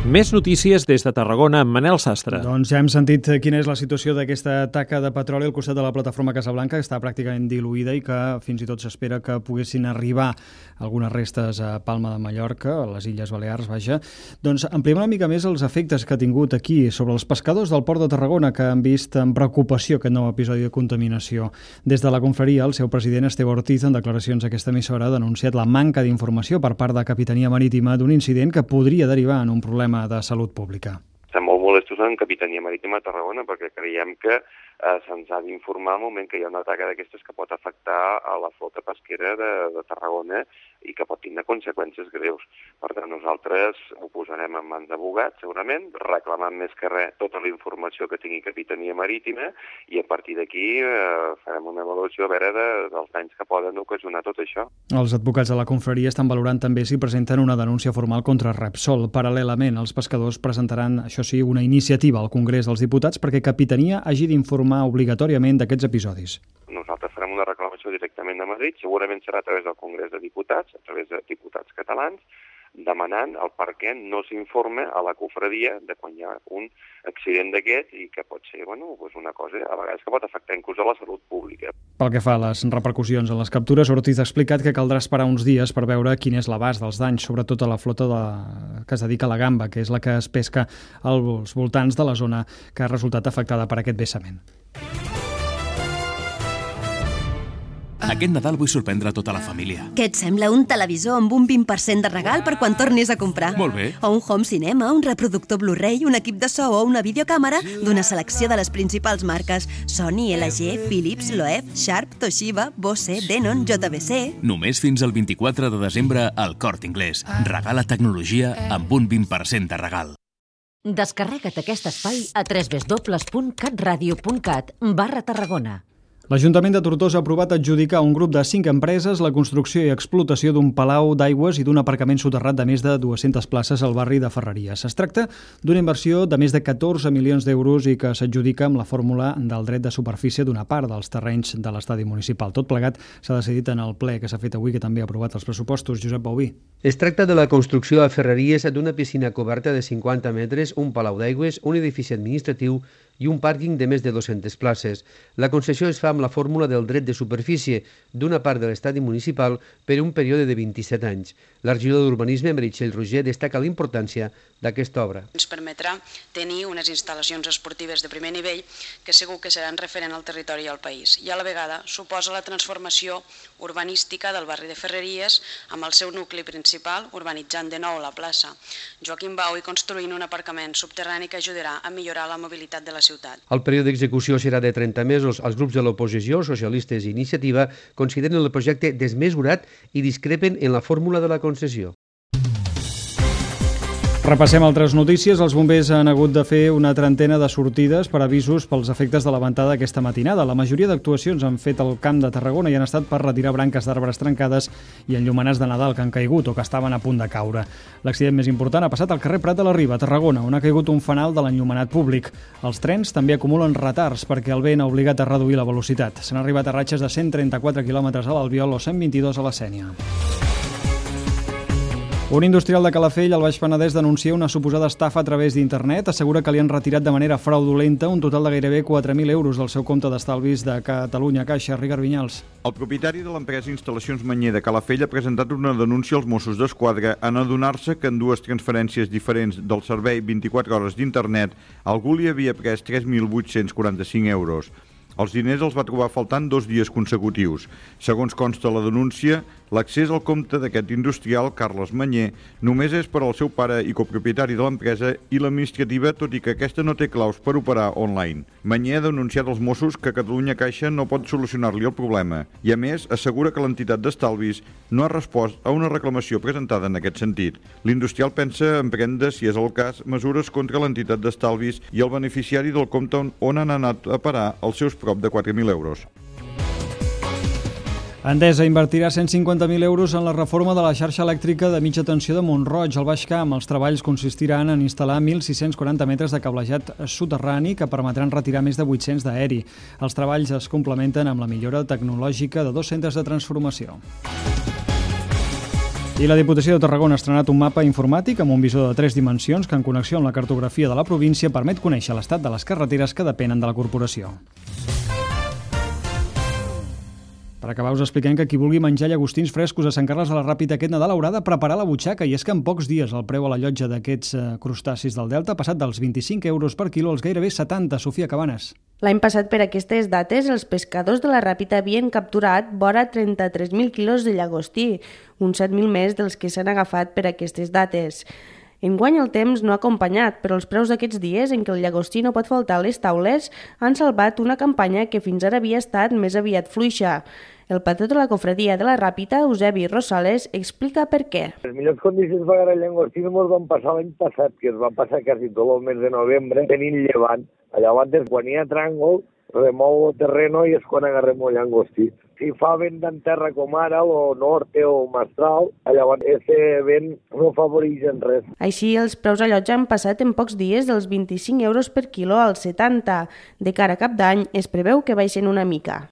Més notícies des de Tarragona amb Manel Sastre. Doncs ja hem sentit quina és la situació d'aquesta taca de petroli al costat de la plataforma Casablanca, que està pràcticament diluïda i que fins i tot s'espera que poguessin arribar algunes restes a Palma de Mallorca, a les Illes Balears, vaja. Doncs ampliem una mica més els efectes que ha tingut aquí sobre els pescadors del Port de Tarragona, que han vist amb preocupació aquest nou episodi de contaminació. Des de la confraria, el seu president, Esteve Ortiz, en declaracions a aquesta emissora, ha denunciat la manca d'informació per part de Capitania Marítima d'un incident que podria derivar en un problema de salut pública. Estem molt molestos en Capitania Marítima de Tarragona perquè creiem que se'ns ha d'informar al moment que hi ha una taca d'aquestes que pot afectar a la flota pesquera de Tarragona i que pot tindre conseqüències greus. Per tant, nosaltres ho posarem en mans d'abogats, segurament, reclamant més que res tota la informació que tingui Capitania Marítima i a partir d'aquí farem una avaluació a veure dels danys que poden ocasionar tot això. Els advocats de la confraria estan valorant també si presenten una denúncia formal contra Repsol. Paral·lelament, els pescadors presentaran, això sí, una iniciativa al Congrés dels Diputats perquè Capitania hagi d'informar obligatòriament d'aquests episodis. Nosaltres farem una reclamació directament a Madrid, segurament serà a través del Congrés de Diputats, a través de diputats catalans, demanant el per què no s'informa a la confraria de quan hi ha un accident d'aquest i que pot ser una cosa a vegades que pot afectar inclús a la salut pública. Pel que fa a les repercussions en les captures, Ortiz ha explicat que caldrà esperar uns dies per veure quin és l'abast dels danys, sobretot a la flota que es dedica a la gamba, que és la que es pesca als voltants de la zona que ha resultat afectada per aquest vessament. Aquest Nadal vull sorprendre tota la família. Què et sembla un televisor amb un 20% de regal per quan tornis a comprar? Molt bé. O un home cinema, un reproductor Blu-ray, un equip de so o una videocàmera d'una selecció de les principals marques Sony, LG, Philips, Loewe, Sharp, Toshiba, Bose, Denon, JBC... Només fins al 24 de desembre al Corte Inglés. Regala tecnologia amb un 20% de regal. Descarrega't aquest espai a www.catradio.cat/Tarragona. L'Ajuntament de Tortosa ha aprovat adjudicar a un grup de 5 empreses la construcció i explotació d'un palau d'aigües i d'un aparcament soterrat de més de 200 places al barri de Ferreries. Es tracta d'una inversió de més de 14 milions d'euros i que s'adjudica amb la fórmula del dret de superfície d'una part dels terrenys de l'estadi municipal. Tot plegat s'ha decidit en el ple que s'ha fet avui, que també ha aprovat els pressupostos. Josep Bauví. Es tracta de la construcció a Ferreries d'una piscina coberta de 50 metres, un palau d'aigües, un edifici administratiu i un pàrquing de més de 200 places. La concessió es fa amb la fórmula del dret de superfície d'una part de l'estadi municipal per un període de 27 anys. La regidora d'Urbanisme, Meritxell Roger, destaca la importància d'aquesta obra. Ens permetrà tenir unes instal·lacions esportives de primer nivell que segur que seran referent al territori i al país. I a la vegada suposa la transformació urbanística del barri de Ferreries amb el seu nucli principal, urbanitzant de nou la plaça Joaquim Bau i construint un aparcament subterrani que ajudarà a millorar la mobilitat de la ciutat. El període d'execució serà de 30 mesos. Els grups de l'oposició, socialistes i iniciativa, consideren el projecte desmesurat i discrepen en la fórmula de la concessió. Repassem altres notícies. Els bombers han hagut de fer una trentena de sortides per avisos pels efectes de la ventada aquesta matinada. La majoria d'actuacions han fet al Camp de Tarragona i han estat per retirar branques d'arbres trencades i enllumenats de Nadal que han caigut o que estaven a punt de caure. L'accident més important ha passat al carrer Prat de la Riba, a Tarragona, on ha caigut un fanal de l'enllumenat públic. Els trens també acumulen retards perquè el vent ha obligat a reduir la velocitat. S'han arribat a ratxes de 134 km a l'Albiol o 122 a la Sénia. Un industrial de Calafell, al Baix Penedès, denuncia una suposada estafa a través d'internet. Assegura que li han retirat de manera fraudulenta un total de gairebé 4.000 euros del seu compte d'estalvis de Catalunya Caixa. Ricard Vinyals. El propietari de l'empresa Instal·lacions Manyer de Calafell ha presentat una denúncia als Mossos d'Esquadra en adonar-se que en dues transferències diferents del servei 24 hores d'internet algú li havia pres 3.845 euros. Els diners els va trobar faltant 2 dies consecutius. Segons consta la denúncia, l'accés al compte d'aquest industrial, Carles Manyer, només és per al seu pare i copropietari de l'empresa i l'administrativa, tot i que aquesta no té claus per operar online. Manyer ha denunciat als Mossos que Catalunya Caixa no pot solucionar-li el problema i, a més, assegura que l'entitat d'estalvis no ha respost a una reclamació presentada en aquest sentit. L'industrial pensa emprendre, si és el cas, mesures contra l'entitat d'estalvis i el beneficiari del compte on han anat a parar els seus prop de 4.000 euros. Endesa invertirà 150.000 euros en la reforma de la xarxa elèctrica de mitja tensió de Mont-roig, al Baix Camp. Els treballs consistiran en instal·lar 1.640 metres de cablejat soterrani que permetran retirar més de 800 d'aeri. Els treballs es complementen amb la millora tecnològica de 2 centres de transformació. I la Diputació de Tarragona ha estrenat un mapa informàtic amb un visor de 3 dimensions que, en connexió amb la cartografia de la província, permet conèixer l'estat de les carreteres que depenen de la corporació. Per acabar, us expliquem que qui vulgui menjar llagostins frescos a Sant Carles de la Ràpita aquest Nadal haurà de preparar la butxaca, i és que en pocs dies el preu a la llotja d'aquests crustacis del Delta ha passat dels 25 euros per quilo als gairebé 70. Sofia Cabanes. L'any passat, per aquestes dates, els pescadors de la Ràpita havien capturat vora 33.000 quilos de llagostí, uns 7.000 més dels que s'han agafat per aquestes dates. Enguany el temps no ha acompanyat, però els preus d'aquests dies en què el llagostí no pot faltar a les taules han salvat una campanya que fins ara havia estat més aviat fluixa. El patró de la cofradia de la Ràpita, Eusebi Rosales, explica per què. Les millors condicions per agarrar llagostí ens van passar l'any passat, que es va passar quasi tot el mes de novembre tenint llevant. Llavors, quan hi ha tràngol, remou el terreno i és quan agarrem el llagostí. Si fa vent en terra com ara, o norte o mestral, llavors aquest vent no afavoreix en res. Així, els preus a llotja han passat en pocs dies dels 25 euros per quilo als 70. De cara a cap d'any, es preveu que baixen una mica.